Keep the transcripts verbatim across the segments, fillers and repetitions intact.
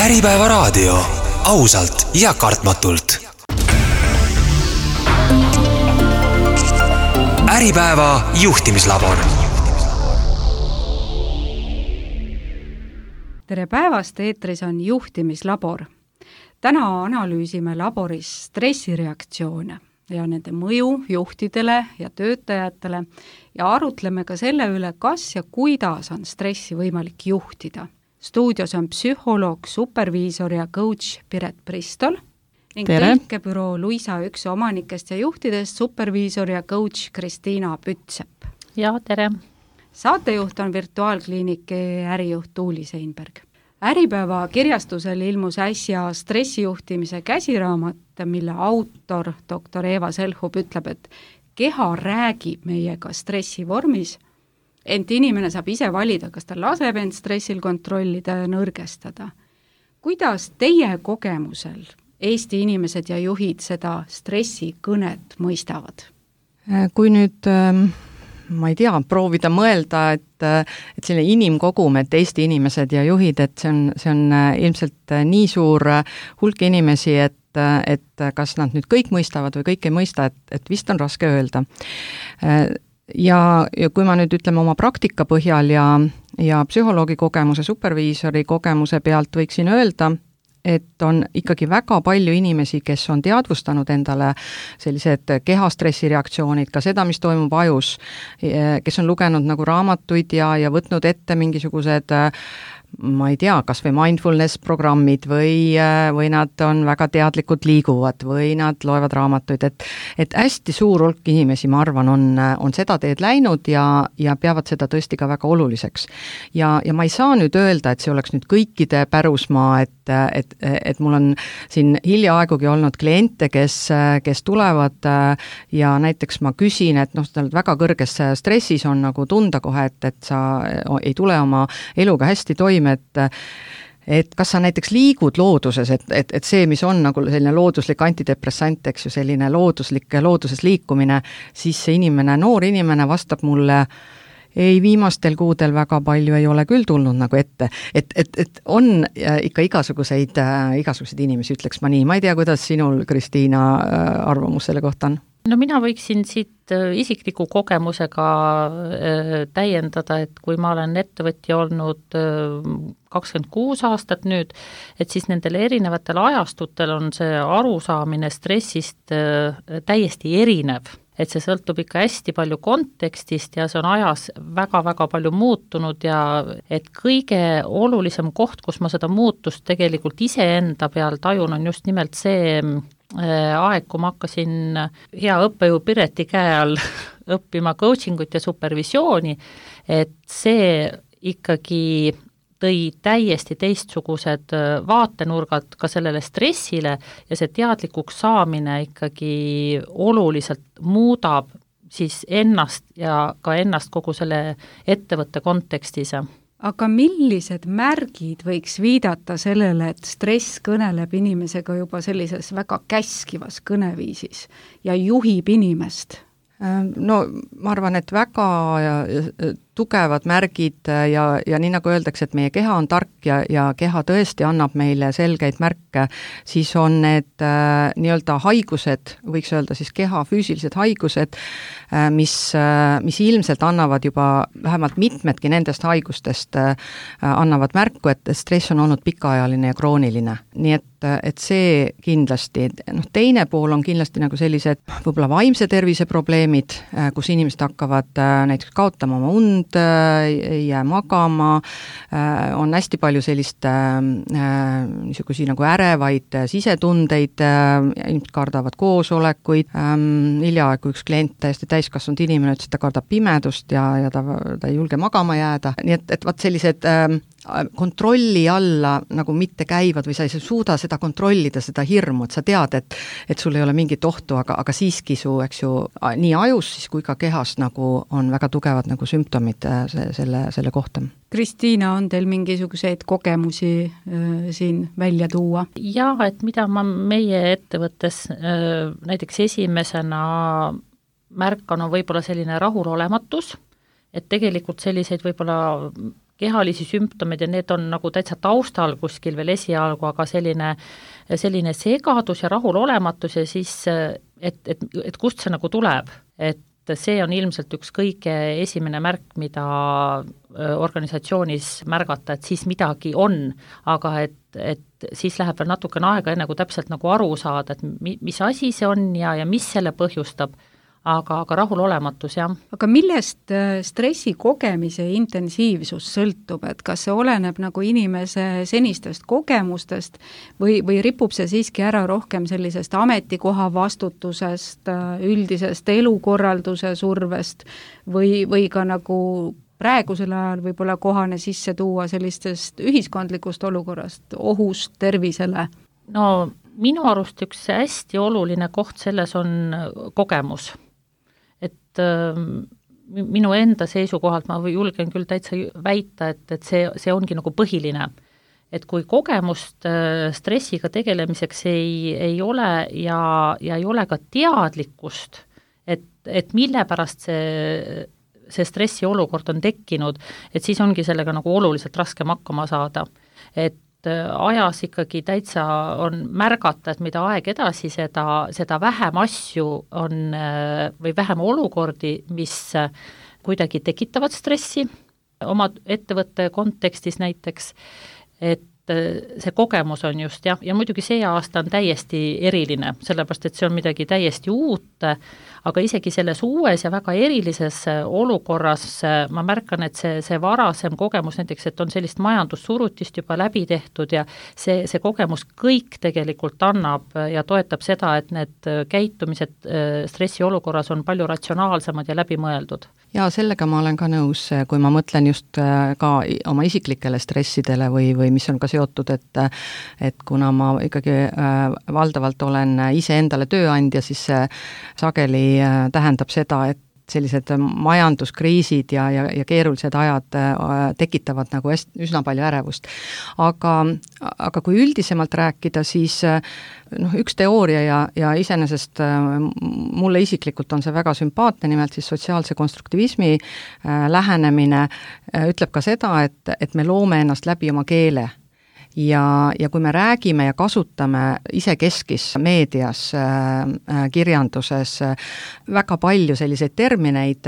Äripäeva raadio, ausalt ja kartmatult. Äripäeva juhtimislabor. Tere päevast, eetris on juhtimislabor. Täna analüüsime laboris stressireaktsioone ja nende mõju juhtidele ja töötajatele ja arutleme ka selle üle, kas ja kuidas on stressi võimalik juhtida. Stuudios on psühholoog, superviisor ja coach Piret Pristol ning tõlkebüroo Luisa üks omanikest ja juhtidest superviisor ja coach Kristiina Pütsepp. Ja, tere! Saatejuht on virtuaalkliiniki ärijuht Tuuli Seinberg. Äripäeva kirjastusel ilmus äsja stressijuhtimise käsiraamat, mille autor doktor Eva Selhub ütleb, et keha räägib meiega stressi vormis, ent inimene saab ise valida, kas ta laseb end stressil kontrollida ja nõrgestada. Kuidas teie kogemusel Eesti inimesed ja juhid seda stressikõnet mõistavad? Kui nüüd, ma ei tea, proovida mõelda, et, et selline inimkogum, et Eesti inimesed ja juhid, et see on, see on ilmselt nii suur hulk inimesi, et, et kas nad nüüd kõik mõistavad või kõik ei mõista, et, et vist on raske öelda. Ja, ja kui ma nüüd ütleme oma praktika põhjal ja, ja psühholoogi kogemuse, superviisori kogemuse pealt võiksin öelda, et on ikkagi väga palju inimesi, kes on teadvustanud endale sellised kehastressireaktsioonid, ka seda, mis toimub ajus, kes on lugenud nagu raamatuid ja, ja võtnud ette mingisugused, ma ei tea, kas või mindfulness programmid või, või nad on väga teadlikud liiguvad või nad loevad raamatuid, et, et hästi suur hulk inimesi, ma arvan, on, on seda teed läinud ja, ja peavad seda tõesti ka väga oluliseks. Ja, ja ma ei saa nüüd öelda, et see oleks nüüd kõikide pärusmaa, et, et, et mul on siin hiljaaegugi olnud kliente, kes, kes tulevad ja näiteks ma küsin, et noh, väga kõrges stressis on nagu tunda kohe, et, et sa ei tule oma eluga hästi toime, et et kas sa näiteks liigud looduses, et, et, et see, mis on nagu selline looduslik antidepressant, eks ju, selline looduslik looduses liikumine, siis see inimene, noor inimene vastab mulle, ei, viimastel kuudel väga palju ei ole küll tulnud nagu ette, et, et, et on ikka igasuguseid, igasuguseid inimesi, ütleks ma nii. Ma ei tea, kuidas sinul, Kristiina, arvamus selle kohta on? No mina võiksin siit isikliku kogemusega täiendada, et kui ma olen ettevõtja olnud kakskümmend kuus aastat nüüd, et siis nendel erinevatel ajastutel on see arusaamine stressist täiesti erinev. Et see sõltub ikka hästi palju kontekstist ja see on ajas väga-väga palju muutunud ja et kõige olulisem koht, kus ma seda muutust tegelikult iseenda peal tajun, on just nimelt see aeg, kui ma hakkasin hea õppejõu Pireti käe all õppima coachingut ja supervisiooni, et see ikkagi tõi täiesti teistsugused vaatenurgad ka sellele stressile ja see teadlikuks saamine ikkagi oluliselt muudab siis ennast ja ka ennast kogu selle ettevõtte kontekstis. Aga millised märgid võiks viidata sellele, et stress kõneleb inimesega juba sellises väga käskivas kõneviisis ja juhib inimest? No ma arvan, et väga tugevad märgid ja, ja nii nagu öeldakse, et meie keha on tark ja, ja keha tõesti annab meile selgeid märke, siis on need äh, nii-öelda haigused, võiks öelda siis keha füüsilised haigused, äh, mis, äh, mis ilmselt annavad juba vähemalt mitmedki nendest haigustest äh, annavad märku, et stress on olnud pikaajaline ja krooniline. Nii et, et see kindlasti, noh, teine pool on kindlasti nagu sellised võib-olla vaimse tervise probleemid, äh, kus inimesed hakkavad äh, näiteks kaotama oma und, ei jää magama, on hästi palju sellist niisugusi nagu ärevaid sisetundeid, inimesed kardavad koosolekuid, hiljaaegu üks klient, täiesti täiskasvanud inimene, ütles, et ta kardab pimedust ja, ja ta, ta ei julge magama jääda, nii et, et vaat sellised kontrolli alla nagu mitte käivad või sa ei suuda seda kontrollida, seda hirmu, et sa tead, et, et sul ei ole mingit ohtu, aga, aga siiski su, eks ju, nii ajus siis kui ka kehas nagu on väga tugevad nagu sümptomid se, selle, selle kohta. Kristiina, on teil mingisuguseid kogemusi äh, siin välja tuua? Jaa, et mida ma meie ettevõttes äh, näiteks esimesena märkan, on võib-olla selline rahulolematus, et tegelikult selliseid võib-olla kehalisi sümptomeid ja need on nagu täitsa taustal kuskil veel esialgu, aga selline, selline segadus ja rahulolematus ja siis, et, et, et kust see nagu tuleb, et see on ilmselt üks kõige esimene märk, mida organisatsioonis märgata, et siis midagi on, aga et, et siis läheb veel natukene aega, enne kui täpselt nagu aru saada, et mi, mis asi see on ja, ja mis selle põhjustab, aga, aga rahulolematus, jah. Aga millest stressi kogemise intensiivsus sõltub, et kas see oleneb nagu inimese senistest kogemustest või, või ripub see siiski ära rohkem sellisest ametikoha vastutusest, üldisest elukorralduse survest või, või ka nagu praegusel ajal võib-olla kohane sisse tuua sellistest ühiskondlikust olukorrast, ohust tervisele? No minu arust üks hästi oluline koht selles on kogemus. Et minu enda seisukohalt ma julgen küll täitsa väita, et, et see, see ongi nagu põhiline. Et kui kogemust stressiga tegelemiseks ei, ei ole ja, ja ei ole ka teadlikkust, et, et mille pärast see, see stressi olukord on tekkinud, et siis ongi sellega nagu oluliselt raskem hakkama saada. Et ajas ikkagi täitsa on märgata, et mida aeg edasi, seda, seda vähem asju on või vähem olukordi, mis kuidagi tekitavad stressi oma ettevõtte kontekstis näiteks, et see kogemus on just, jah, ja muidugi see aasta on täiesti eriline, sellepärast et see on midagi täiesti uut, aga isegi selles uues ja väga erilises olukorras ma märkan, et see, see varasem kogemus näiteks, et on sellist majandussurutist juba läbi tehtud ja see, see kogemus kõik tegelikult annab ja toetab seda, et need käitumised stressi olukorras on palju ratsionaalsemad ja läbimõeldud. Ja sellega ma olen ka nõus, kui ma mõtlen just ka oma isiklikele stressidele või, või mis on ka seotud, et, et kuna ma ikkagi valdavalt olen ise endale tööandja, siis see sageli tähendab seda, et sellised majanduskriisid ja, ja, ja keerulised ajad tekitavad nagu hästi, üsna palju ärevust. Aga, aga kui üldisemalt rääkida, siis noh, üks teooria ja, ja iseenesest mulle isiklikult on see väga sümpaatne, nimelt siis sotsiaalse konstruktivismi lähenemine ütleb ka seda, et, et me loome ennast läbi oma keele. Ja, ja kui me räägime ja kasutame isekeskis meedias, kirjanduses väga palju selliseid termineid,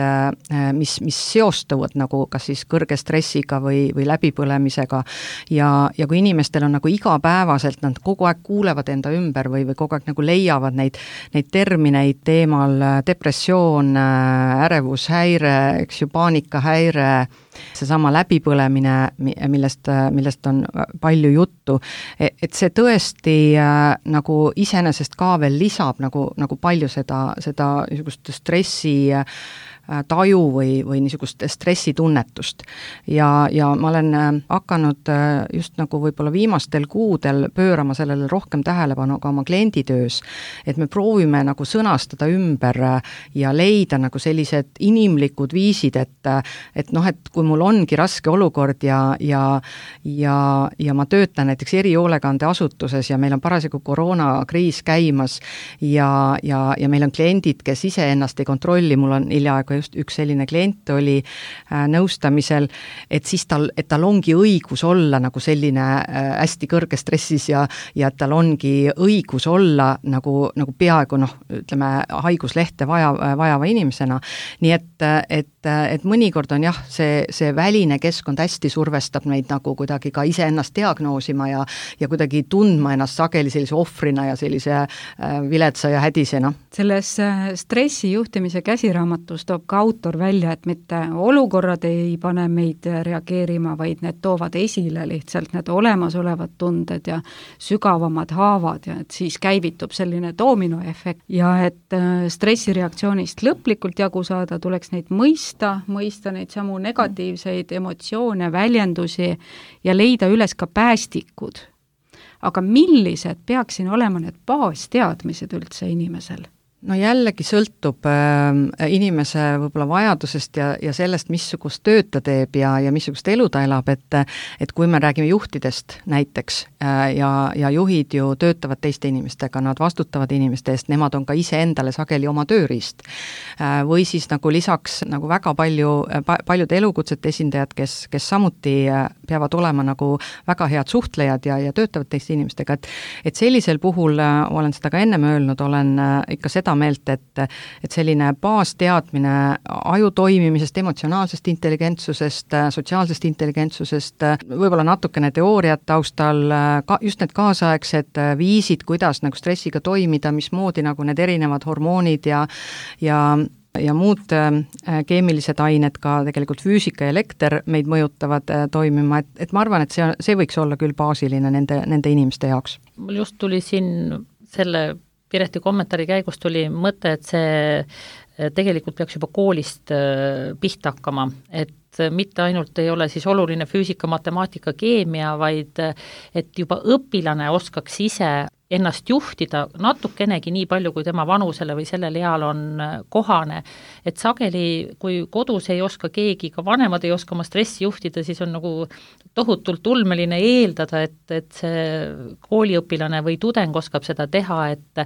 mis, mis seostuvad nagu kas siis kõrge stressiga või, või läbipõlemisega ja, ja kui inimestel on nagu igapäevaselt, nad kogu aeg kuulevad enda ümber või, või kogu aeg nagu leiavad neid, neid termineid teemal depressioon, ärevushäire, eks ju, paanikahäire, seesama läbipõlemine, millest, millest on palju juttu, et see tõesti äh, nagu iseenesest ka veel lisab nagu, nagu palju seda, seda niisugust stressi äh, taju või, või niisugust stressitunnetust. Ja, ja ma olen hakanud just nagu võib-olla viimastel kuudel pöörama sellele rohkem tähelepanu ka oma klienditöös, et me proovime nagu sõnastada ümber ja leida nagu sellised inimlikud viisid, et, et noh, et kui mul ongi raske olukord ja, ja, ja, ja ma töötan näiteks erihoolekandeasutuses ja meil on parasjagu koroonakriis käimas ja, ja, ja meil on kliendid, kes ise ennast ei kontrolli, mul on hiljaaegu just üks selline klient oli äh, nõustamisel, et siis tal, et tal ongi õigus olla nagu selline äh, hästi kõrge stressis ja, ja tal ongi õigus olla nagu, nagu peaaegu noh, ütleme haiguslehte vaja, vajava inimesena. Nii et, et, et mõnikord on jah, see, see väline keskkond hästi survestab meid nagu kuidagi ka ise ennast diagnoosima ja, ja kuidagi tundma ennast sageli sellise ohvrina ja sellise äh, viletsa ja hädisena. Selles äh, stressijuhtimise käsiraamatus toob ka autor välja, et mitte olukorrad ei pane meid reageerima, vaid need toovad esile lihtsalt need olemasolevad tunded ja sügavamad haavad ja et siis käivitub selline doominoefekt ja et stressireaktsioonist lõplikult jagu saada, tuleks neid mõista, mõista neid samu negatiivseid emotsioone, väljendusi ja leida üles ka päästikud. Aga millised peaksin olema need baasteadmised üldse inimesel? no jällegi sõltub äh, inimese võib-olla vajadusest ja, ja sellest, missugust tööd ta teeb ja, ja missugust elu ta elab, et et kui me räägime juhtidest näiteks äh, ja, ja juhid ju töötavad teiste inimestega, nad vastutavad inimeste eest, nemad on ka iseendale sageli oma tööriist äh,. Või siis nagu lisaks nagu väga palju pa,, paljude elukutsete esindajad, kes, kes samuti äh, peavad olema nagu väga head suhtlejad ja, ja töötavad teiste inimestega, et et sellisel puhul äh, olen seda ka ennem öelnud, olen äh, ikka seda meelt, et, et selline baasteadmine aju toimimisest, emotsionaalsest intelligentsusest, sotsiaalsest intelligentsusest, võib-olla natukene teooriat taustal, ka, just need kaasaegsed viisid, kuidas nagu stressiga toimida, mismoodi nagu need erinevad hormoonid ja ja ja muud keemilised ained, ka tegelikult füüsika ja elekter meid mõjutavad toimima, et, et ma arvan, et see, see võiks olla küll baasiline nende, nende inimeste jaoks. Mul just tuli siin selle Pireti kommentaari käigus tuli mõte, et see tegelikult peaks juba koolist pihta hakkama, et mitte ainult ei ole siis oluline füüsika, matemaatika, keemia, vaid et juba õpilane oskaks ise ennast juhtida natukenegi nii palju, kui tema vanusele või sellel eal on kohane. Et sageli, kui kodus ei oska keegi, ka vanemad ei oska oma stressi juhtida, siis on nagu tohutult ulmeline eeldada, et, et see kooliõpilane või tudeng oskab seda teha, et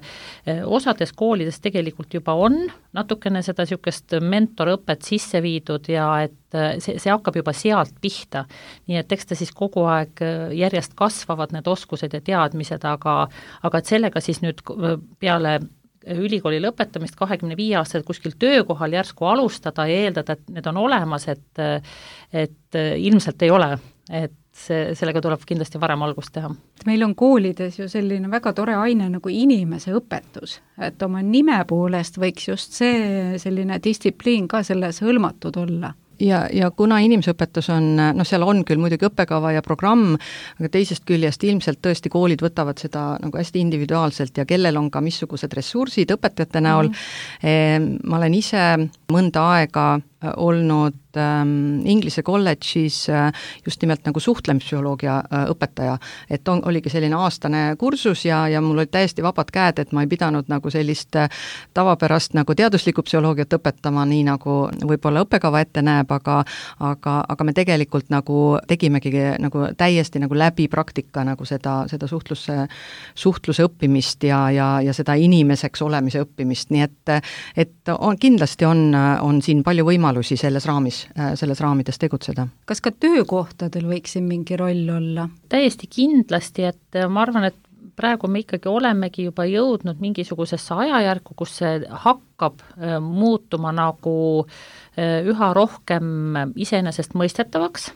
osades koolides tegelikult juba on natukene seda niisugust mentorõpet sisse viidud ja et see, see hakkab juba sealt pihta. Nii et eks ta siis kogu aeg järjest kasvavad need oskused ja teadmised, aga aga et sellega siis nüüd peale ülikooli lõpetamist kahekümne viie aastased kuskil töökohal järsku alustada ja eeldada, et need on olemas, et, et ilmselt ei ole, et see, sellega tuleb kindlasti varem algust teha. Meil on koolides ju selline väga tore aine nagu inimese õpetus, et oma nime poolest võiks just see selline distsipliin ka selles hõlmatud olla. Ja, ja kuna inimeseõpetus on, noh seal on küll muidugi õppekava ja programm, aga teisest küljest ilmselt tõesti koolid võtavad seda nagu hästi individuaalselt ja kellel on ka missugused ressursid õpetajate näol. Mm. Ma olen ise mõnda aega olnud ähm, Inglise kolledžis äh, just nimelt nagu suhtlemspsühholoogia äh, õpetaja, et on, oligi selline aastane kursus ja, ja mul olid täiesti vabad käed, et ma ei pidanud nagu sellist äh, tavapärast nagu teaduslikku psühholoogiat õpetama, nii nagu võib-olla õppekava ette näeb, aga, aga, aga me tegelikult nagu tegimegi nagu täiesti nagu läbi praktika nagu seda, seda suhtluse, suhtluse õppimist ja, ja, ja seda inimeseks olemise õppimist, nii et, et on, kindlasti on, on siin palju võimalusi selles raamis, selles raamides tegutseda. Kas ka töökohtadel võiks siin mingi roll olla? Täiesti kindlasti, et ma arvan, et praegu me ikkagi olemegi juba jõudnud mingisugusesse ajajärku, kus see hakkab muutuma nagu üha rohkem iseenesest mõistetavaks,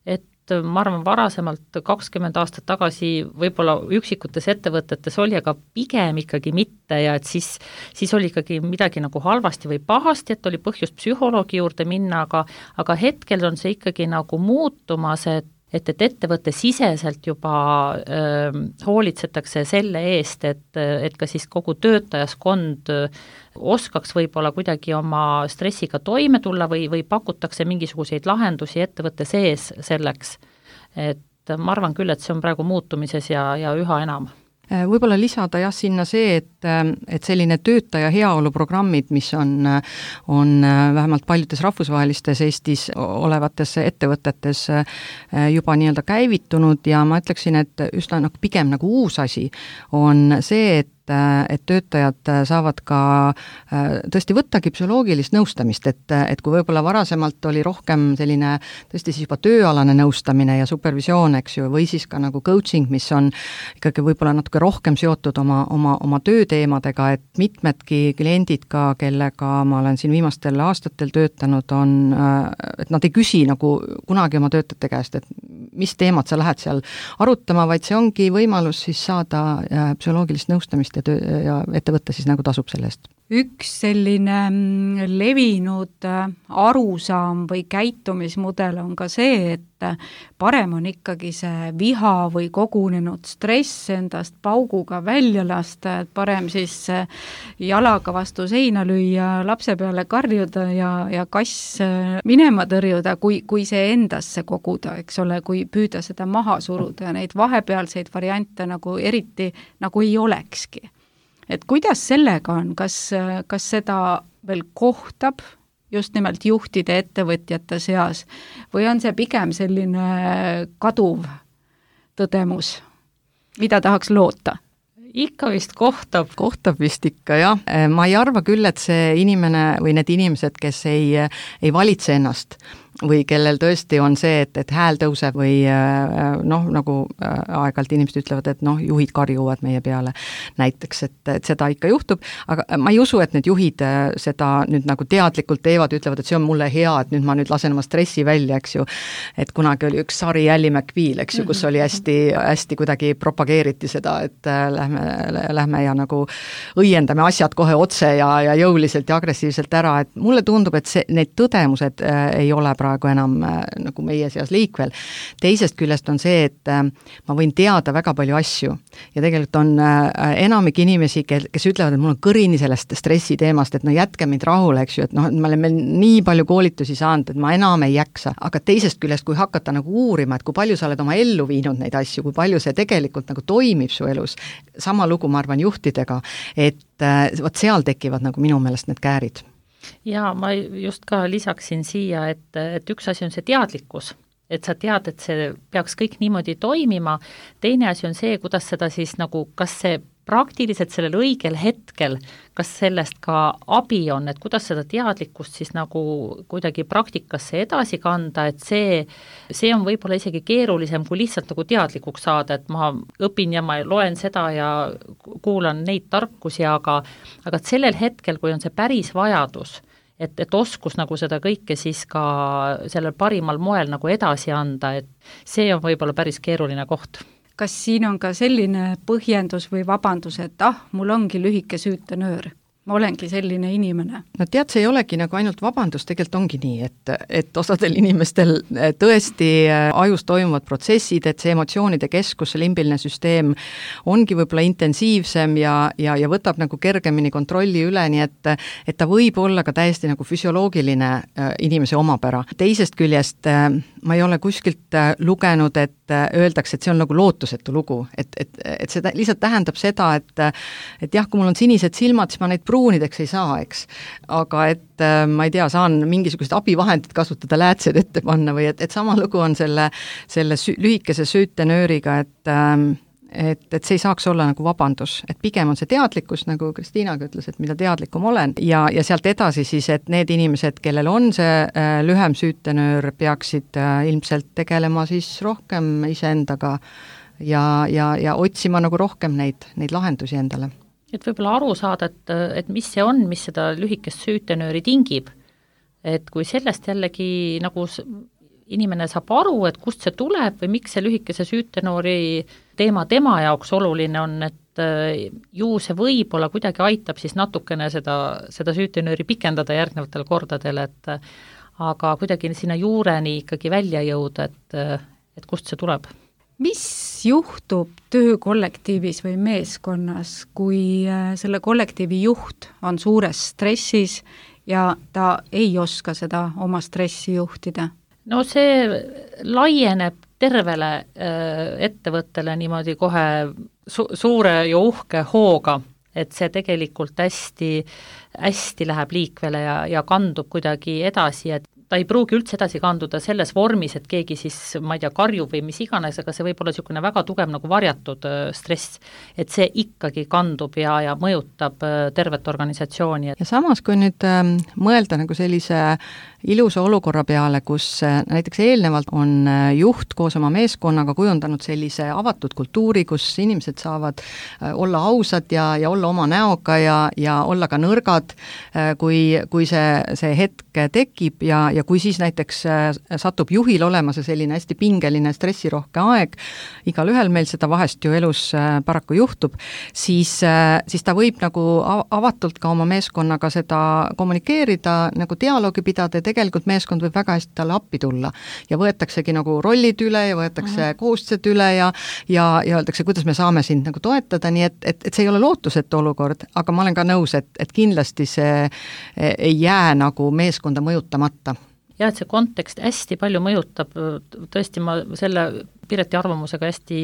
et ma arvan, varasemalt kakskümmend aastat tagasi võib-olla üksikutes ettevõtetes oli, aga pigem ikkagi mitte ja et siis, siis oli ikkagi midagi nagu halvasti või pahasti, et oli põhjust psühholoogi juurde minna, aga, aga hetkel on see ikkagi nagu muutumas, et et, et ettevõtte siseselt juba äh, hoolitsetakse selle eest, et, et ka siis kogu töötajaskond oskaks võib-olla kuidagi oma stressiga toime tulla või, või pakutakse mingisuguseid lahendusi ettevõtte sees selleks. Et ma arvan küll, et see on praegu muutumises ja, ja üha enam. Võib-olla lisada jah sinna see, et, et selline töötaja heaoluprogrammid, mis on, on vähemalt paljudes rahvusvahelistes Eestis olevates ettevõtetes juba nii-öelda käivitunud ja ma ütleksin, et üsna nagu pigem nagu uus asi on see, et et töötajad saavad ka tõesti võttagi psühholoogilist nõustamist, et, et kui võib-olla varasemalt oli rohkem selline tõesti siis juba tööalane nõustamine ja supervisioon, eks ju, või siis ka nagu coaching, mis on ikkagi võib-olla natuke rohkem seotud oma, oma, oma tööteemadega, et mitmedki kliendid ka, kellega ma olen siin viimastel aastatel töötanud, on, et nad ei küsi nagu kunagi oma töötajate käest, et mis teemad sa lähed seal arutama, vaid see ongi võimalus siis saada psühholoogilist nõustamist ja, töö, ja ettevõte siis nagu tasub selle eest. Üks selline levinud arusaam või käitumismudel on ka see, et parem on ikkagi see viha või kogunenud stress endast pauguga välja lasta, et parem siis jalaga vastu seina lüüa, lapse peale karjuda ja, ja kass minema tõrjuda, kui, kui see endasse koguda, eks ole, kui püüda seda maha suruda ja neid vahepealseid variante nagu eriti nagu ei olekski. et kuidas sellega on, kas, kas seda veel kohtab just nimelt juhtide ettevõtjate seas või on see pigem selline kaduv tõdemus, mida tahaks loota? Ikka vist kohtab. Kohtab vist ikka, jah. Ma ei arva küll, et see inimene või need inimesed, kes ei, ei valitse ennast või kellel tõesti on see, et, et hääl tõuseb või noh, nagu aeg-ajalt inimesed ütlevad, et noh, juhid karjuvad meie peale näiteks, et, et seda ikka juhtub, aga ma ei usu, et need juhid seda nüüd nagu teadlikult teevad, ütlevad, et see on mulle hea, et nüüd ma nüüd lasen oma stressi välja, eks ju, et kunagi oli üks sari Ally McBeal, eks ju, kus oli hästi, hästi kuidagi propageeriti seda, et lähme, lähme ja nagu õiendame asjad kohe otse ja, ja jõuliselt ja agressiivselt ära, et mulle tundub, et see, need tõdemused ei ole praegu enam äh, nagu meie seas liikvel. Teisest küljest on see, et äh, ma võin teada väga palju asju ja tegelikult on äh, enamik inimesi, kes, kes ütlevad, et mul on kõrini sellest stressi teemast, et no jätke mind rahule, eks ju, et noh, ma olen meil nii palju koolitusi saanud, et ma enam ei jaksa. Aga teisest küljest, kui hakata nagu uurima, et kui palju sa oled oma ellu viinud neid asju, kui palju see tegelikult nagu toimib su elus, sama lugu ma arvan juhtidega, et äh, vot seal tekivad nagu minu meelest need käärid. Ja ma just ka lisaksin siia, et, et üks asi on see teadlikkus, et sa tead, et see peaks kõik niimoodi toimima, teine asi on see, kuidas seda siis nagu, kas see praktiliselt sellel õigel hetkel, kas sellest ka abi on, et kuidas seda teadlikkust siis nagu kuidagi praktikasse edasi kanda, et see, see on võib-olla isegi keerulisem kui lihtsalt nagu teadlikuks saada, et ma õpin ja ma loen seda ja kuulan neid tarkusi, aga, aga sellel hetkel, kui on see päris vajadus, et, et oskus nagu seda kõike siis ka sellel parimal moel nagu edasi anda, et see on võib-olla päris keeruline koht. Kas siin on ka selline põhjendus või vabandus, et ah, mul ongi lühike süütenöör, ma olengi selline inimene? No tead, see ei olegi nagu ainult vabandus, tegelikult ongi nii, et, et osadel inimestel tõesti ajus toimuvad protsessid, et see emotsioonide keskus, see limbiline süsteem ongi võib-olla intensiivsem ja, ja, ja võtab nagu kergemini kontrolli üle, nii et, et ta võib olla ka täiesti nagu füsioloogiline inimese omapära. Teisest küljest ma ei ole kuskilt lugenud, et öeldakse, et see on nagu lootusetu lugu, et, et, et see lihtsalt tähendab seda, et, et jah, kui mul on sinised silmad, siis ma neid pruunideks ei saa, eks. Aga et ma ei tea, saan mingisugused abivahendid kasutada, läätsed ette panna või et, et sama lugu on selle, selle sü- lühikese süütenööriga, et et, et see ei saaks olla nagu vabandus, et pigem on see teadlikkus, nagu Kristiinaga ütles, et mida teadlikum olen ja, ja sealt edasi siis, et need inimesed, kellel on see äh, lühem süütenöör, peaksid äh, ilmselt tegelema siis rohkem iseendaga ja, ja, ja otsima nagu rohkem neid, neid lahendusi endale. Et võib-olla aru saada, et, et mis see on, mis seda lühikest süütenööri tingib, et kui sellest jällegi nagu inimene saab aru, et kust see tuleb või miks see lühikese süütenoori teema tema jaoks oluline on, et ju see võib-olla kuidagi aitab siis natukene seda, seda süütenööri pikendada järgnevatel kordadel, et aga kuidagi sinna juureni ikkagi välja jõuda, et, et kust see tuleb. Mis juhtub töökollektiivis või meeskonnas, kui selle kollektiivi juht on suures stressis ja ta ei oska seda oma stressi juhtida? No see laieneb tervele äh, ettevõttele niimoodi kohe su- suure ja uhke hooga, et see tegelikult hästi, hästi läheb liikvele ja, ja kandub kuidagi edasi, et ta ei pruugi üldse edasi kanduda selles vormis, et keegi siis, ma ei tea, karjub või mis iganes, aga see võib olla niisugune väga tugev nagu varjatud äh, stress, et see ikkagi kandub ja, ja mõjutab äh, tervet organisatsiooni. Ja samas, kui nüüd äh, mõelda nagu sellise ilusa olukorra peale, kus äh, näiteks eelnevalt on äh, juht koos oma meeskonnaga kujundanud sellise avatud kultuuri, kus inimesed saavad äh, olla ausad ja, ja olla oma näoga ja, ja olla ka nõrgad, äh, kui, kui see, see hetk tekib ja ja kui siis näiteks satub juhil olema see selline hästi pingeline stressirohke aeg, igal ühel meil seda vahest ju elus paraku juhtub, siis, siis ta võib nagu avatult ka oma meeskonnaga seda kommunikeerida, nagu dialoogi pidada ja tegelikult meeskond võib väga hästi talle appi tulla ja võetaksegi nagu rollid üle ja võetakse mm-hmm. kohustused üle ja, ja, ja öeldakse, kuidas me saame sind nagu toetada, nii et, et, et see ei ole lootusetu olukord, aga ma olen ka nõus, et, et kindlasti see ei jää nagu meeskonda mõjutamata. Ja et see kontekst hästi palju mõjutab, tõesti ma selle Pireti arvamusega hästi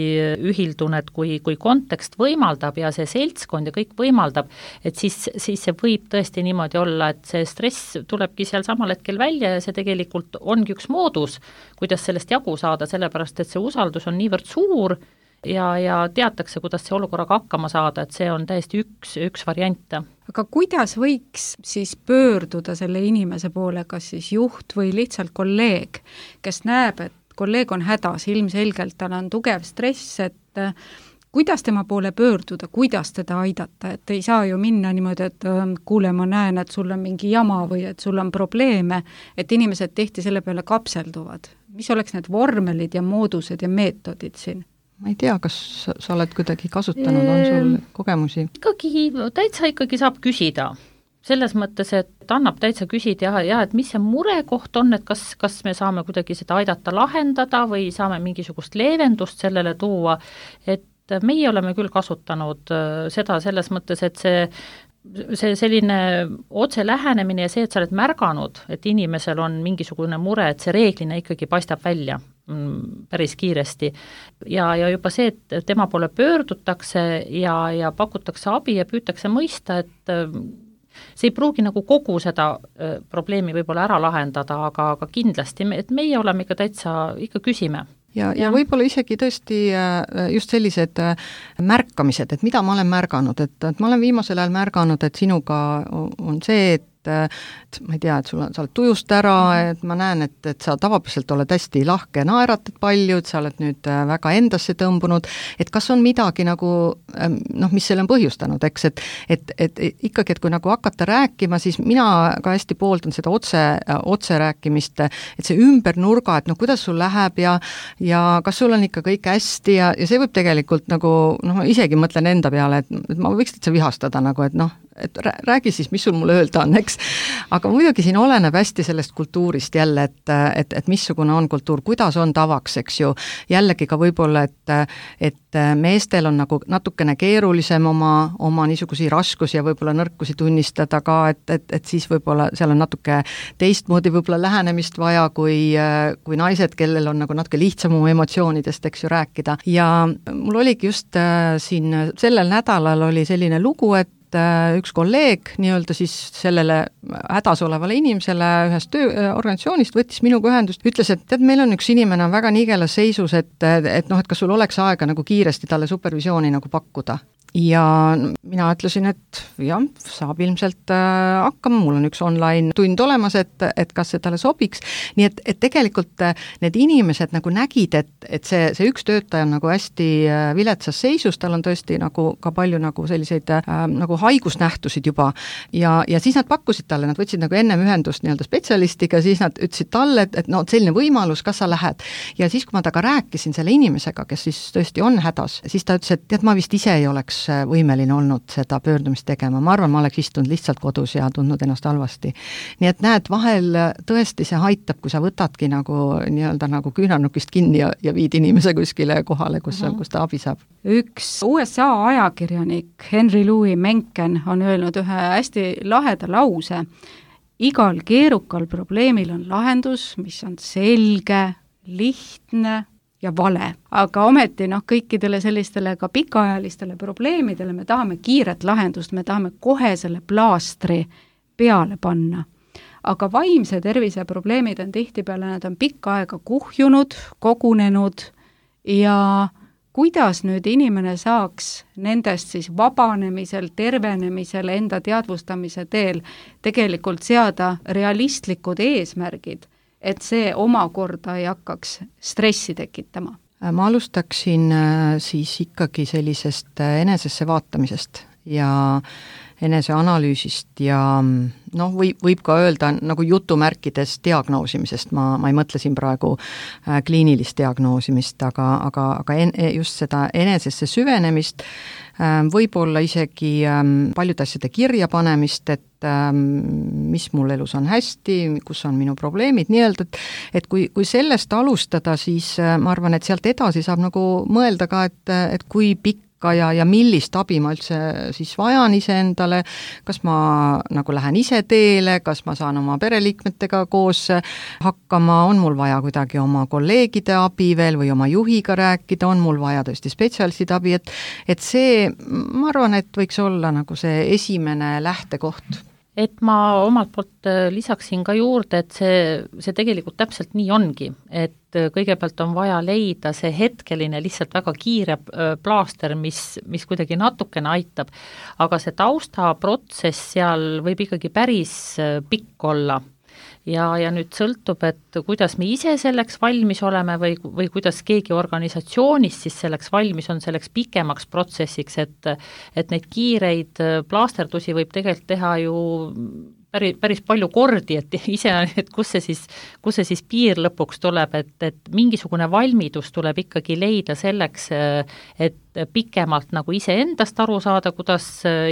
ühildun, et kui, kui kontekst võimaldab ja see seltskond ja kõik võimaldab, et siis, siis see võib tõesti niimoodi olla, et see stress tulebki seal samal hetkel välja ja see tegelikult ongi üks moodus, kuidas sellest jagu saada, sellepärast et see usaldus on niivõrd suur ja, ja teatakse, kuidas see olukorraga hakkama saada, et see on täiesti üks, üks variante. Aga kuidas võiks siis pöörduda selle inimese poole, kas siis juht või lihtsalt kolleeg, kes näeb, et kolleeg on hädas, ilmselgelt tal on tugev stress, et kuidas tema poole pöörduda, kuidas teda aidata, et ei saa ju minna niimoodi, et kuule, ma näen, et sul on mingi jama või et sul on probleeme, et inimesed tihti selle peale kapselduvad. Mis oleks need vormelid ja moodused ja meetodid siin? Ma ei tea, kas sa oled kuidagi kasutanud, on sul kogemusi? Ikkagi, täitsa ikkagi saab küsida. Selles mõttes, et annab täitsa küsida ja, ja et mis see murekoht on, et kas, kas me saame kuidagi seda aidata lahendada või saame mingisugust leevendust sellele tuua, et meie oleme küll kasutanud seda selles mõttes, et see see selline otse lähenemine ja see, et sa oled märganud, et inimesel on mingisugune mure, et see reeglina ikkagi paistab välja päris kiiresti. Ja, ja juba see, et tema poole pöördutakse ja, ja pakutakse abi ja püütakse mõista, et see ei pruugi nagu kogu seda probleemi võib-olla ära lahendada, aga, aga kindlasti, et meie oleme ikka täitsa, ikka küsime. Ja, ja, ja võib-olla isegi tõesti just sellised märkamised, et mida ma olen märganud, et, et ma olen viimasel ajal märganud, et sinuga on see, et et ma ei tea, et sul on, sa oled tujust ära, et ma näen, et, et sa tavapäraselt oled hästi lahke, naeratad palju, et sa oled nüüd väga endasse tõmbunud, et kas on midagi nagu, noh, mis selle on põhjustanud, eks, et, et, et ikkagi, et kui nagu hakata rääkima, siis mina ka hästi pooldan seda otse, otse rääkimist, et see ümber nurga, et noh, kuidas sul läheb ja, ja kas sul on ikka kõik hästi ja, ja see võib tegelikult nagu, noh, ma isegi mõtlen enda peale, et, et ma võiks täitsa vihastada nagu, et noh, et räägi siis, mis sul mulle öelda on, eks. Aga muidugi siin oleneb hästi sellest kultuurist jälle, et, et, et missugune on kultuur, kuidas on tavaks, eks ju. Jällegi ka võib-olla, et, et meestel on nagu natukene keerulisem oma, oma niisugusi raskusi ja võib-olla nõrkusi tunnistada ka, et, et, et siis võib-olla seal on natuke teistmoodi võib-olla lähenemist vaja, kui, kui naised, kellel on nagu natuke lihtsam oma emotsioonidest, eks ju, rääkida. Ja mul oligi just siin sellel nädalal oli selline lugu, et üks kolleeg nii-öelda siis sellele hädas olevale inimesele ühest tööorganisatsioonist võttis minuga ühendust, ütles, et tead, meil on üks inimene on väga nigelas seisus, et, et noh, et kas sul oleks aega nagu kiiresti talle supervisiooni nagu pakkuda. Ja mina ütlesin, et jah, saab ilmselt äh, hakkama, mul on üks online tund olemas, et, et kas see talle sobiks. Nii et, et tegelikult need inimesed nagu nägid, et, et see, see üks töötaja on nagu hästi viletsas seisus, tal on tõesti nagu ka palju nagu selliseid äh, nagu haigusnähtusid juba. Ja, ja siis nad pakkusid talle, nad võtsid nagu ennem ühendust nii-öelda spetsialistiga, siis nad ütlesid talle, et, et no selline võimalus, kas sa lähed. Ja siis, kui ma taga rääkisin selle inimesega, kes siis tõesti on hädas, siis ta ütles, et tead, ma vist ise ei oleks võimeline olnud seda pöördumist tegema. Ma arvan, ma oleks istunud lihtsalt kodus ja tundnud ennast halvasti. Nii et näed, vahel tõesti see aitab, kui sa võtadki nagu nii-öelda nagu küünarnukist kinni ja, ja viid inimese kuskile kohale, kus, uh-huh. kus ta abi saab. Üks U S A ajakirjanik Henry Louis Mencken on öelnud ühe hästi laheda lause. Igal keerukal probleemil on lahendus, mis on selge, lihtne ja vale. Aga ometi noh, kõikidele sellistele ka pikaajalistele probleemidele me tahame kiiret lahendust, me tahame kohe selle plaastri peale panna. Aga vaimse tervise probleemid on tihtipeale, nad on pikka aega kuhjunud, kogunenud ja kuidas nüüd inimene saaks nendest siis vabanemisel, tervenemisel, enda teadvustamise teel tegelikult seada realistlikud eesmärgid, et see omakorda ei hakkaks stressi tekitama? Ma alustaksin siis ikkagi sellisest enesesse vaatamisest ja eneseanalüüsist ja noh, võib, võib ka öelda nagu jutumärkides diagnoosimisest, ma, ma ei mõtle siin praegu äh, kliinilist diagnoosimist, aga, aga, aga en, just seda enesesse süvenemist, äh, võib-olla isegi äh, paljude asjade kirja panemist, et äh, mis mul elus on hästi, kus on minu probleemid, nii-öelda, et, et kui, kui sellest alustada, siis äh, ma arvan, et sealt edasi saab nagu mõelda ka, et, et kui pikk hakka ja, ja millist abi ma üldse siis vajan iseendale, kas ma nagu lähen ise teele, kas ma saan oma pereliikmetega koos hakkama, on mul vaja kuidagi oma kolleegide abi veel või oma juhiga rääkida, on mul vaja tõesti spetsialistide abi, et, et see, ma arvan, et võiks olla nagu see esimene lähtekoht. Et ma omalt poolt lisaksin ka juurde, et see, see tegelikult täpselt nii ongi, et kõigepealt on vaja leida see hetkeline lihtsalt väga kiire plaaster, mis, mis kuidagi natukene aitab, aga see taustaprotsess seal võib ikkagi päris pikk olla. Ja, ja nüüd sõltub, et kuidas me ise selleks valmis oleme või, või kuidas keegi organisatsioonis siis selleks valmis on selleks pikemaks protsessiks, et, et neid kiireid plaasterdusi võib tegelikult teha ju päris, päris palju kordi, et ise, et kus see siis, kus see siis piir lõpuks tuleb, et, et mingisugune valmidus tuleb ikkagi leida selleks, et pikemalt nagu ise endast aru saada, kuidas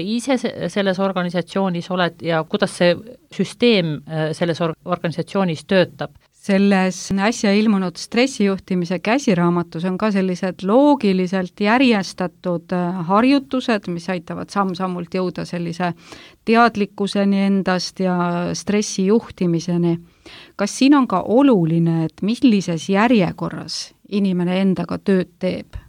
ise selles organisatsioonis oled ja kuidas see süsteem selles organisatsioonis töötab. Selles äsja ilmunud stressijuhtimise käsiraamatus on ka sellised loogiliselt järjestatud harjutused, mis aitavad samm-sammult jõuda sellise teadlikkuseni endast ja stressi juhtimiseni. Kas siin on ka oluline, et millises järjekorras inimene endaga tööd teeb?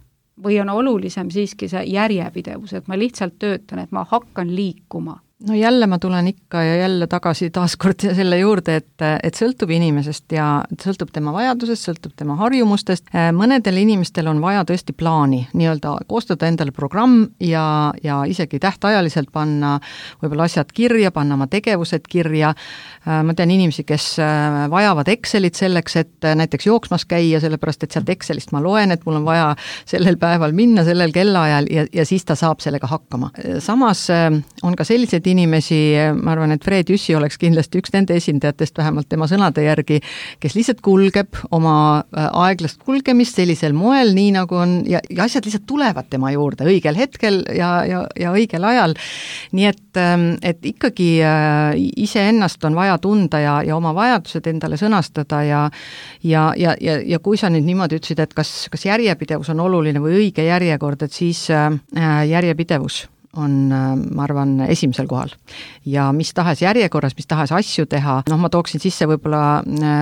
Või on olulisem siiski see järjepidevus, et ma lihtsalt töötan, et ma hakkan liikuma? No jälle ma tulen ikka ja jälle tagasi taaskord selle juurde, et, et sõltub inimesest ja sõltub tema vajadusest, sõltub tema harjumustest. Mõnedel inimestel on vaja tõesti plaani, nii-öelda koostada endale programm ja, ja isegi tähtajaliselt panna võib-olla asjad kirja, panna oma tegevused kirja. Ma tean inimesi, kes vajavad Excelit selleks, et näiteks jooksmas käia, sellepärast et sealt Excelist ma loen, et mul on vaja sellel päeval minna sellel kellaajal ja, ja siis ta saab sellega hakkama. Samas on ka sellised inimesi, ma arvan, et Fred Jüssi oleks kindlasti üks nende esindajatest, vähemalt tema sõnade järgi, kes lihtsalt kulgeb oma aeglast kulgemist sellisel moel, nii nagu on, ja, ja asjad lihtsalt tulevad tema juurde õigel hetkel ja, ja, ja õigel ajal. Nii et, et ikkagi iseennast on vaja tunda ja, ja oma vajadused endale sõnastada ja, ja, ja, ja, ja kui sa nüüd niimoodi ütlesid, et kas, kas järjepidevus on oluline või õige järjekord, et siis järjepidevus on, ma arvan, esimesel kohal. Ja mis tahes järjekorras, mis tahes asju teha, noh, ma tooksin sisse võib-olla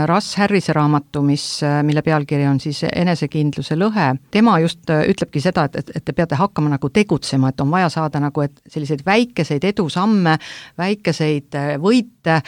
Russ Harrise raamatu, mis, mille pealkiri on siis Enesekindluse lõhe. Tema just ütlebki seda, et, et te peate hakkama nagu tegutsema, et on vaja saada nagu, et selliseid väikeseid edusamme, väikeseid võite,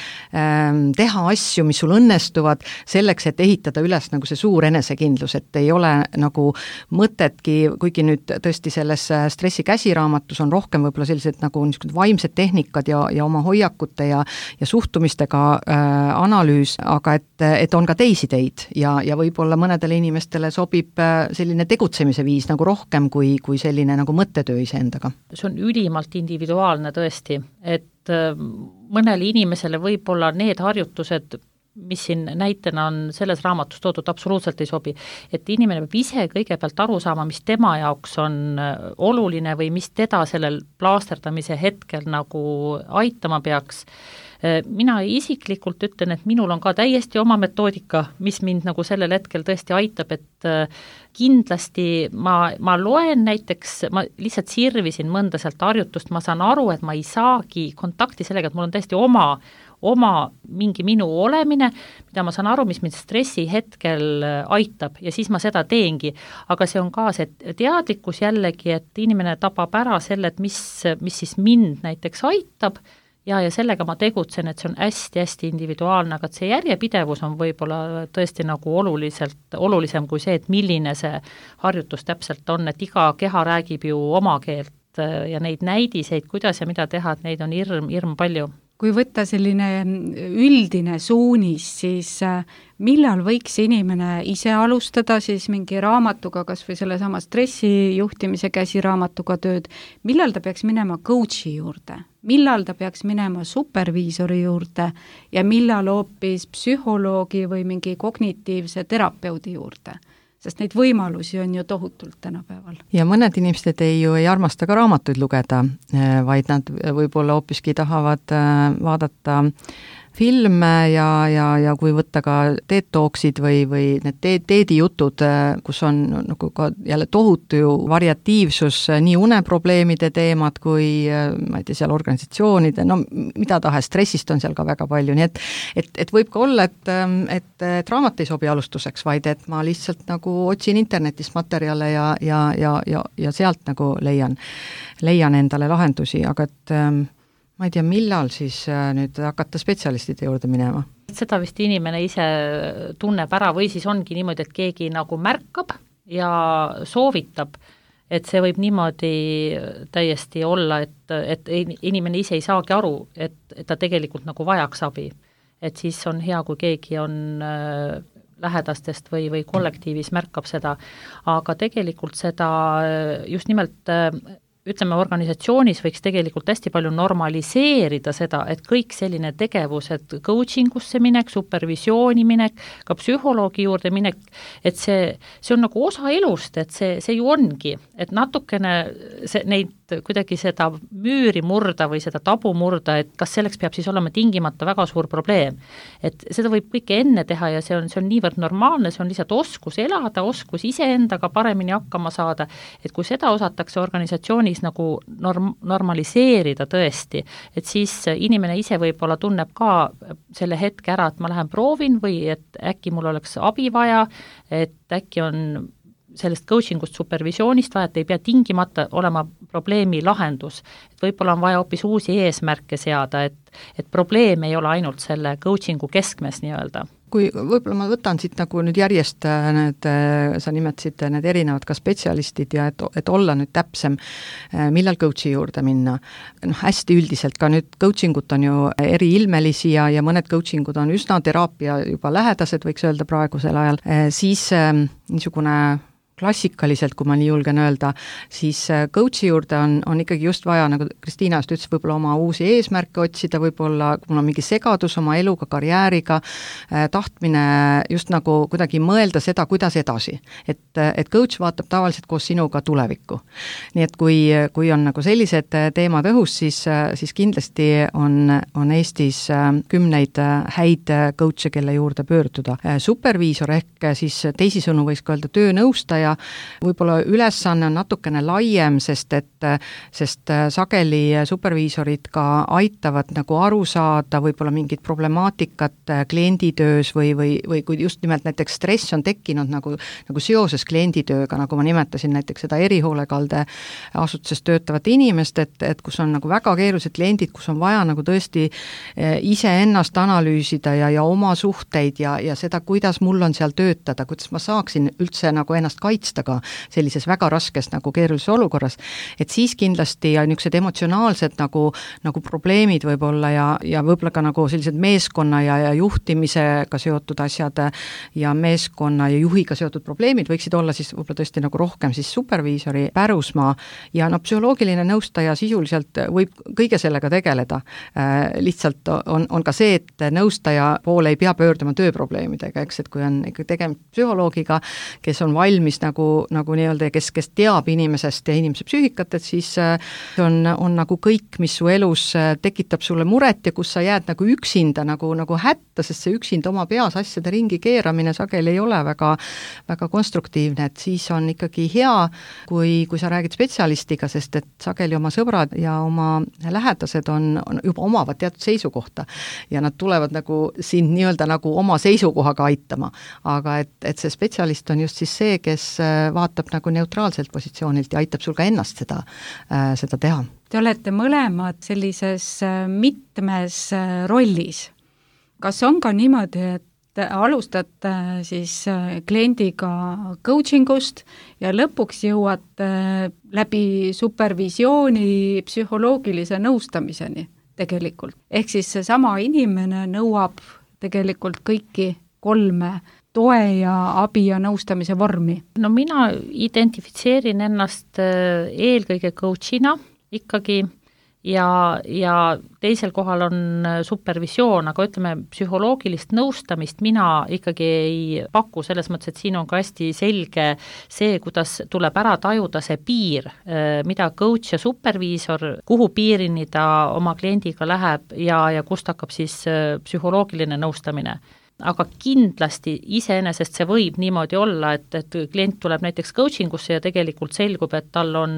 teha asju, mis sul õnnestuvad, selleks, et ehitada üles nagu see suur enesekindlus, et ei ole nagu mõtetki, kuigi nüüd tõesti selles stressi käsiraamatus on rohkem võib-olla sellised nagu niisugused vaimsed tehnikad ja, ja oma hoiakute ja, ja suhtumistega äh, analüüs, aga et, et on ka teisi teid ja, ja võib-olla mõnedele inimestele sobib äh, selline tegutsemise viis nagu rohkem kui, kui selline nagu mõttetöö iseendaga. See on ülimalt individuaalne tõesti, et äh, mõnele inimesele võib-olla need harjutused, mis siin näitena on selles raamatus toodud, absoluutselt ei sobi. Et inimene peab ise kõigepealt aru saama, mis tema jaoks on oluline või mis teda sellel plaasterdamise hetkel nagu aitama peaks. Mina isiklikult ütlen, et minul on ka täiesti oma metoodika, mis mind nagu sellel hetkel tõesti aitab, et kindlasti ma, ma loen näiteks, ma lihtsalt sirvisin mõnda sealt harjutust, ma saan aru, et ma ei saagi kontakti sellega, et mul on tõesti oma oma mingi minu olemine, mida ma saan aru, mis mind stressi hetkel aitab ja siis ma seda teengi. Aga see on ka see teadlikkus jällegi, et inimene tabab ära selle, et mis, mis siis mind näiteks aitab ja, ja sellega ma tegutsen, et see on hästi-hästi individuaalne, aga see järjepidevus on võib-olla tõesti nagu oluliselt, olulisem kui see, et milline see harjutus täpselt on, et iga keha räägib ju oma keelt ja neid näidiseid, kuidas ja mida teha, et neid on hirm, hirm palju. Kui võtta selline üldine suunis, siis millal võiks inimene ise alustada siis mingi raamatuga, kas või selle sama stressijuhtimise käsiraamatuga tööd, millal ta peaks minema coachi juurde, millal ta peaks minema superviisori juurde ja millal hoopis psühholoogi või mingi kognitiivse terapeudi juurde? Sest neid võimalusi on ju tohutult tänapäeval. Ja mõned inimesed ei ju ei armasta ka raamatuid lugeda, vaid nad võib-olla hoopiski tahavad vaadata filme ja, ja, ja kui võtta ka TED Talksid või, või need TED-i jutud, kus on nagu ka jälle tohutu ju variatiivsus, nii uneprobleemide teemad kui ma ei tea, seal organisatsioonide, no mida tahes, stressist on seal ka väga palju, nii et et, et võib ka olla, et, et, et raamat ei sobi alustuseks, vaid et ma lihtsalt nagu otsin internetist materjale ja, ja, ja, ja, ja sealt nagu leian, leian endale lahendusi, aga et ma ei tea, millal siis nüüd hakata spetsialistide juurde minema? Seda vist inimene ise tunneb ära või siis ongi niimoodi, et keegi nagu märkab ja soovitab, et see võib niimoodi täiesti olla, et, et inimene ise ei saagi aru, et, et ta tegelikult nagu vajaks abi. Et siis on hea, kui keegi on lähedastest või, või kollektiivis märkab seda, aga tegelikult seda just nimelt ütleme, organisatsioonis võiks tegelikult hästi palju normaliseerida seda, et kõik selline tegevus, et coachingusse minek, supervisiooni minek, ka psühholoogi juurde minek, et see, see on nagu osa elust, et see, see ju ongi, et natukene see, neid kuidagi seda müüri murda või seda tabu murda, et kas selleks peab siis olema tingimata väga suur probleem. Et seda võib kõike enne teha ja see on, see on niivõrd normaalne, see on lihtsalt oskus elada, oskus iseendaga paremini hakkama saada, et kui seda osatakse organisatsioonis nagu norm, normaliseerida tõesti, et siis inimene ise võib-olla tunneb ka selle hetke ära, et ma lähen proovin või et äkki mul oleks abi vaja, et äkki on sellest coachingust, supervisioonist vaja, et ei pea tingimata olema probleemi lahendus. Et võib-olla on vaja hoopis uusi eesmärke seada, et, et probleem ei ole ainult selle coachingu keskmes nii-öelda. Kui võib-olla ma võtan siit nagu nüüd järjest need, sa nimetasid need erinevad ka spetsialistid ja et, et olla nüüd täpsem, millal coachi juurde minna. No, hästi üldiselt ka nüüd coachingut on ju eri ilmelisi ja, ja mõned coachingud on üsna teraapia juba lähedased, võiks öelda praegusel ajal, siis niisugune klassikaliselt, kui ma nii julgen öelda, siis coachi juurde on, on ikkagi just vaja, nagu Kristiina just ütles, võib-olla oma uusi eesmärke otsida, võib-olla mul on mingi segadus oma eluga, karjääriga, tahtmine just nagu kuidagi mõelda seda, kuidas edasi. Et, et coach vaatab tavaliselt koos sinuga tulevikku. Nii et kui, kui on nagu sellised teemad õhus, siis, siis kindlasti on, on Eestis kümneid häid coach'e, kelle juurde pöörduda. Superviisor ehk siis teisisõnu võiks ka öelda töönõustaja, võib-olla ülesanne on natukene laiem, sest et sest sageli superviisorid ka aitavad nagu aru saada võib-olla mingit problemaatikat klienditöös või, või, või kui just nimelt näiteks stress on tekkinud nagu, nagu seoses klienditööga, nagu ma nimetasin näiteks seda erihoolekalde asutuses töötavat inimest, et, et kus on nagu väga keerulised kliendid, kus on vaja nagu tõesti iseennast analüüsida ja, ja oma suhteid ja, ja seda, kuidas mul on seal töötada, kuidas ma saaksin üldse nagu ennast kaitsta ka sellises väga raskes nagu keerulises olukorras, et siis kindlasti ja niisugused emotsionaalsed nagu, nagu probleemid võib-olla ja, ja võib-olla ka nagu sellised meeskonna ja, ja juhtimisega seotud asjad ja meeskonna ja juhiga seotud probleemid võiksid olla siis võib-olla tõesti nagu rohkem siis superviisori pärusmaa ja no psühholoogiline nõustaja sisuliselt võib kõige sellega tegeleda. Äh, lihtsalt on, on ka see, et nõustaja poole ei pea pöörduma tööprobleemidega, eks, et kui on ikka tegemist psühholoogiga, kes on valmis nagu, nagu nii-öelda, kes, kes teab inimesest ja inimese psüühikat, et siis on, on nagu kõik, mis su elus tekitab sulle muret ja kus sa jääd nagu üksinda, nagu, nagu hätta, sest see üksinda oma peas asjade ringi keeramine sageli ei ole väga, väga konstruktiivne, et siis on ikkagi hea, kui, kui sa räägid spetsialistiga, sest et sageli oma sõbrad ja oma lähedased on, on juba omavad teatud seisukohta ja nad tulevad nagu sind nii-öelda nagu oma seisukohaga aitama, aga et, et see spetsialist on just siis see, kes vaatab nagu neutraalselt positsioonilt ja aitab sul ka ennast seda, seda teha. Te olete mõlemad sellises mitmes rollis. Kas on ka niimoodi, et alustate siis kliendiga coachingust ja lõpuks jõuate läbi supervisiooni psühholoogilise nõustamiseni tegelikult? Ehk siis seesama inimene nõuab tegelikult kõiki kolme toe ja abi ja nõustamise vormi? No mina identifitseerin ennast eelkõige coachina ikkagi ja, ja teisel kohal on supervisioon, aga ütleme, psühholoogilist nõustamist mina ikkagi ei paku, selles mõttes, et siin on ka hästi selge see, kuidas tuleb ära tajuda see piir, mida coach ja superviisor, kuhu piirini ta oma kliendiga läheb ja, ja kust hakkab siis psühholoogiline nõustamine. Aga kindlasti iseenesest see võib niimoodi olla, et, et klient tuleb näiteks coaching usse ja tegelikult selgub, et tal on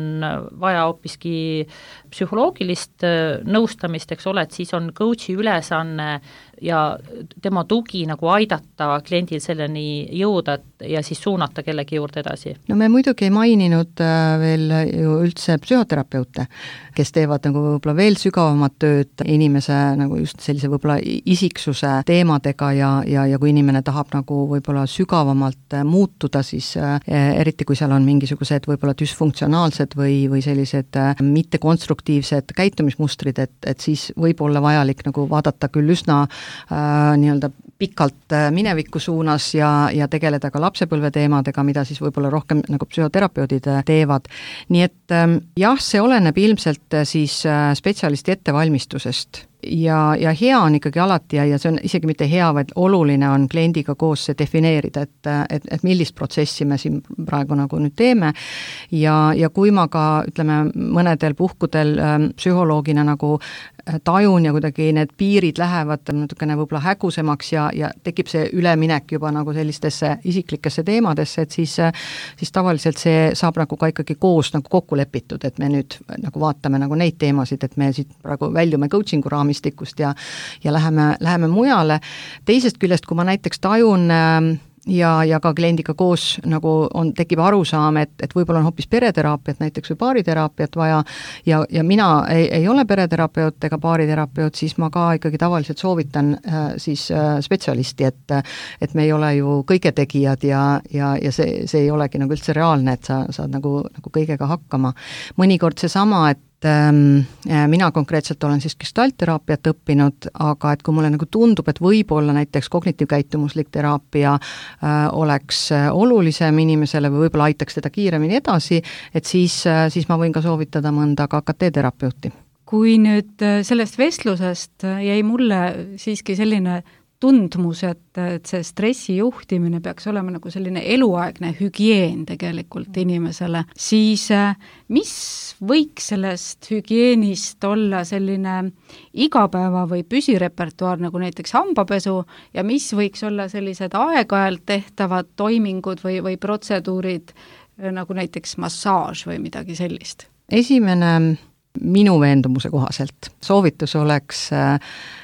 vaja hoopiski psühholoogilist nõustamist, eks ole, et siis on coachi ülesanne ja tema tugi nagu aidata kliendil selleni jõuda ja siis suunata kellegi juurde edasi. No me muidugi ei maininud veel ju üldse psühhoterapeute, kes teevad nagu võib-olla veel sügavamat tööd inimese nagu just sellise võib-olla isiksuse teemadega ja, ja, ja kui inimene tahab nagu võib-olla sügavamalt muutuda, siis eriti kui seal on mingisugused võib-olla düsfunktsionaalsed või, või sellised mittekonstruktiivsed käitumismustrid, et, et siis võib olla vajalik nagu vaadata küll üsna Äh, nii-öelda pikalt mineviku suunas ja, ja tegeleda ka lapsepõlve teemadega, mida siis võib-olla rohkem nagu psühhoterapeudid teevad. Nii et äh, jah, see oleneb ilmselt siis spetsialisti ettevalmistusest. Ja, ja hea on ikkagi alati ja, ja see on isegi mitte hea, vaid oluline on kliendiga koos see defineerida, et, et, et millist protsessi me siin praegu nagu nüüd teeme ja, ja kui ma ka ütleme mõnedel puhkudel ähm, psühholoogina nagu tajun ja kuidagi need piirid lähevad natukene võib-olla hägusemaks ja, ja tekib see üleminek juba nagu sellistesse isiklikesse teemadesse, et siis, siis tavaliselt see saab nagu ka ikkagi koos nagu kokku lepitud, et me nüüd nagu vaatame nagu neid teemasid, et me siit praegu väljume coachingu raamistikust ja, ja läheme, läheme mujale. Teisest küljest, kui ma näiteks tajun ja, ja ka kliendiga koos nagu on, tekib arusaam, et, et võib-olla on hoopis pereteraapiat näiteks või baariteraapiat vaja ja, ja mina ei, ei ole pereterapeut ega baariterapeut, siis ma ka ikkagi tavaliselt soovitan äh, siis äh, spetsialisti, et, et me ei ole ju kõige tegijad ja, ja, ja see, see ei olegi nagu üldse reaalne, et sa saad nagu, nagu kõigega hakkama. Mõnikord seesama, et mina konkreetselt olen siis gestaltteraapiat õppinud, aga et kui mulle nagu tundub, et võib-olla näiteks kognitiivkäitumuslik teraapia äh, oleks olulisem inimesele või võib-olla aitaks teda kiiremini edasi, et siis, äh, siis ma võin ka soovitada mõnda K K T-terapeuti. Kui nüüd sellest vestlusest jäi mulle siiski selline tundmus, et, et see stressi juhtimine peaks olema nagu selline eluaegne hügieen tegelikult inimesele, siis mis võiks sellest hügieenist olla selline igapäeva või püsirepertuaar, nagu näiteks hambapesu, ja mis võiks olla sellised aeg-ajalt tehtavad toimingud või, või protseduurid, nagu näiteks massaaž või midagi sellist? Esimene minu veendumuse kohaselt soovitus oleks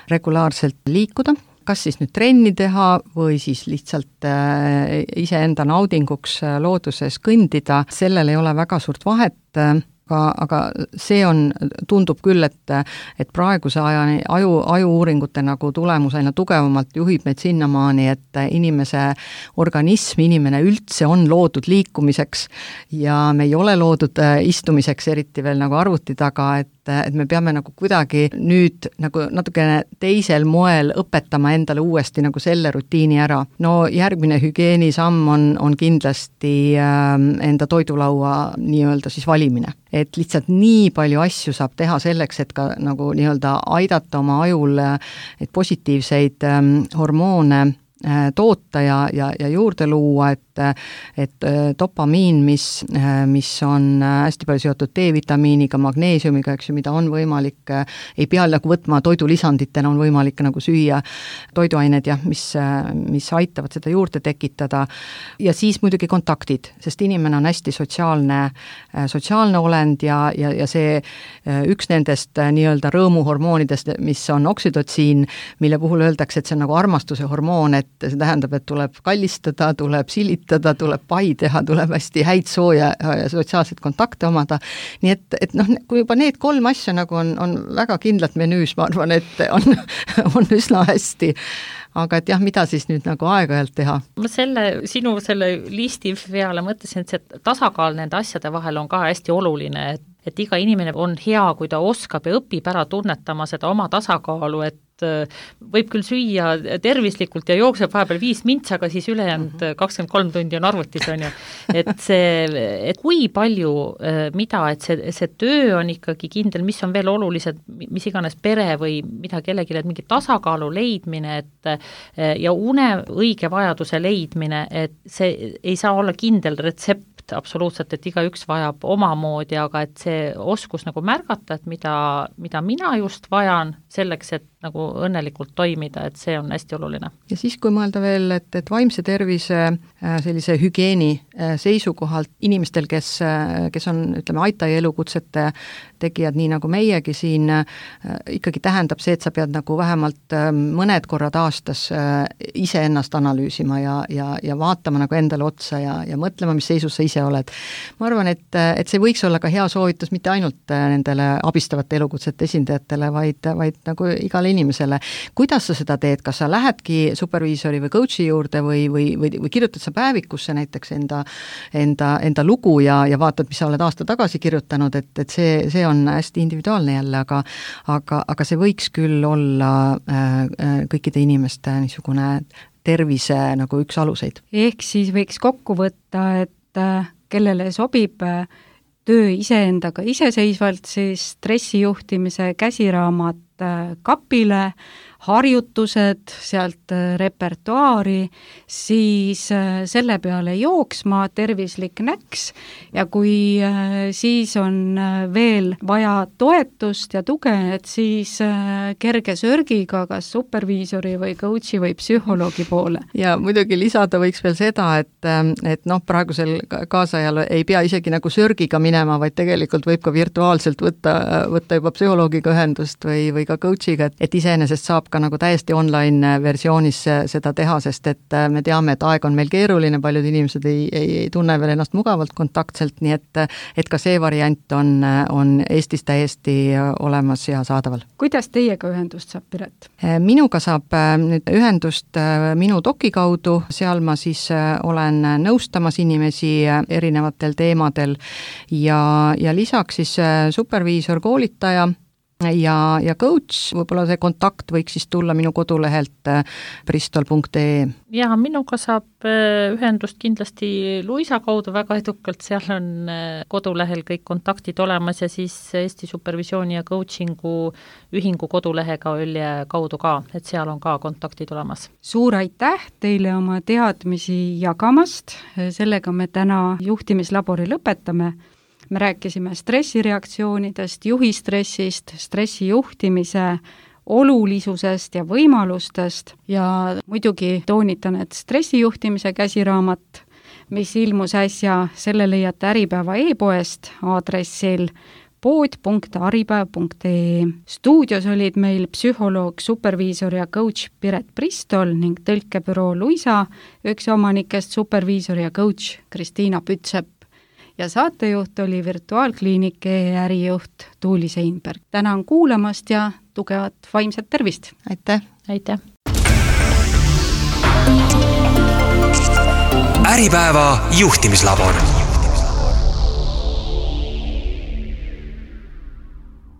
regulaarselt liikuda, kas siis nüüd trenni teha või siis lihtsalt äh, iseenda naudinguks äh, looduses kõndida, sellel ei ole väga suurt vahet, äh, aga, aga see on, tundub küll, et, et praeguse ajani aju, ajuuuringute nagu tulemus aina tugevamalt juhib meid sinnamaani, et inimese organism, inimene üldse on loodud liikumiseks ja me ei ole loodud äh, istumiseks, eriti veel nagu arvuti taga, et et me peame nagu kuidagi nüüd nagu natukene teisel moel õpetama endale uuesti nagu selle rutiini ära. No järgmine hügieenisamm on, on kindlasti äh, enda toidulaua nii-öelda siis valimine. Et lihtsalt nii palju asju saab teha selleks, et ka nagu nii-öelda aidata oma ajul et positiivseid äh, hormoone äh, toota ja, ja, ja juurde luua, et et dopamiin, mis, mis on hästi palju seotud D-vitamiiniga, magneesiumiga, eks ju, mida on võimalik, ei pea nagu võtma toidulisanditena, on võimalik nagu süüa toiduained, jah, mis, mis aitavad seda juurde tekitada. Ja siis muidugi kontaktid, sest inimene on hästi sotsiaalne, sotsiaalne olend ja, ja, ja see üks nendest nii-öelda rõõmuhormoonidest, mis on oksüdotsiin, mille puhul öeldakse, et see on nagu armastuse hormoon, et see tähendab, et tuleb kallistada, tuleb silitada, tuleb pai teha, tuleb hästi häid sooja ja sotsiaalseid kontakte omada. Nii et, et noh, kui juba need kolm asja nagu on, on väga kindlalt menüüs, ma arvan, et on, on üsna hästi. Aga et jah, mida siis nüüd nagu aeg-ajalt teha? Ma selle, sinu selle listi peale mõtlesin, et see tasakaal nende asjade vahel on ka hästi oluline, et, et iga inimene on hea, kui ta oskab ja õpib ära tunnetama seda oma tasakaalu, et võib küll süüa tervislikult ja jookseb vahepeal viis mintsa, aga siis ülejäänud kakskümmend kolm tundi on arvutis, on ju. Et see, et kui palju mida, et see, see töö on ikkagi kindel, mis on veel olulised, mis iganes pere või mida kellelegi, et mingi tasakaalu leidmine, et ja une õige vajaduse leidmine, et see ei saa olla kindel retsept absoluutselt, et igaüks vajab omamoodi, aga et see oskus nagu märgata, et mida, mida mina just vajan selleks, et nagu õnnelikult toimida, et see on hästi oluline. Ja siis, kui mõelda veel, et, et vaimse tervise sellise hügieeni seisukohalt inimestel, kes, kes on, ütleme, Aitai elukutsete tegijad, nii nagu meiegi siin, ikkagi tähendab see, et sa pead nagu vähemalt mõned korrad aastas ise ennast analüüsima ja, ja, ja vaatama nagu endale otsa ja, ja mõtlema, mis seisus sa ise oled. Ma arvan, et, et see võiks olla ka hea soovitus mitte ainult nendele abistavate elukutsete esindajatele, vaid, vaid nagu igale inimesele. Kuidas sa seda teed? Kas sa lähedki superviisori või coachi juurde või, või, või, või kirjutad sa päevikusse näiteks enda, enda, enda lugu ja, ja vaatad, mis sa oled aasta tagasi kirjutanud, et, et see, see on hästi individuaalne jälle, aga, aga, aga see võiks küll olla äh, kõikide inimeste niisugune tervise nagu üks aluseid. Ehk siis võiks kokku võtta, et äh, kellele sobib äh, töö iseendaga iseseisvalt, siis stressijuhtimise käsiraamat äh, kapile, harjutused, sealt repertuaari, siis selle peale jooksma, tervislik näks ja kui siis on veel vaja toetust ja tuge, et siis kerge sörgiga kas superviisori või coachi või psühholoogi poole. Ja muidugi lisada võiks veel seda, et, et noh, praegusel kaasajal ei pea isegi nagu sörgiga minema, vaid tegelikult võib ka virtuaalselt võtta, võtta juba psühholoogiga ühendust või, või ka coachiga, et, et iseenesest saab ka nagu täiesti online versioonis seda teha, sest et me teame, et aeg on meil keeruline, paljud inimesed ei, ei, ei tunne veel ennast mugavalt kontaktselt, nii et, et ka see variant on, on Eestis täiesti olemas ja saadaval. Kuidas teiega ühendust saab, Piret? Minuga saab nüüd ühendust minu doki kaudu, seal ma siis olen nõustamas inimesi erinevatel teemadel ja, ja lisaks siis superviisor, koolitaja ja, ja coach, võib-olla see kontakt võiks siis tulla minu kodulehelt bristol punkt ee. Ja minuga saab ühendust kindlasti Luisa kaudu väga edukalt, seal on kodulehel kõik kontaktid olemas ja siis Eesti Supervisiooni ja Coachingu ühingu kodulehega Ölje kaudu ka, et seal on ka kontaktid olemas. Suur aitäh teile oma teadmisi jagamast, sellega me täna juhtimislabori lõpetame. Me rääkisime stressireaktsioonidest, juhistressist, stressijuhtimise olulisusest ja võimalustest ja muidugi toonitan, et stressijuhtimise käsiraamat, mis ilmus äsja, selle leiate Äripäeva e-poest aadressil pood punkt aripäev punkt ee. Stuudios olid meil psühholoog, superviisor ja coach Piret Bristol ning tõlkebüroo Luisa, üks omanikest superviisor ja coach Kristiina Pütsepp. Ja saatejuht oli virtuaalkliinike ärijuht Tuuli Seinberg. Tänan kuulamast ja tugevat vaimset tervist! Aitäh! Aitäh! Äripäeva juhtimislabor.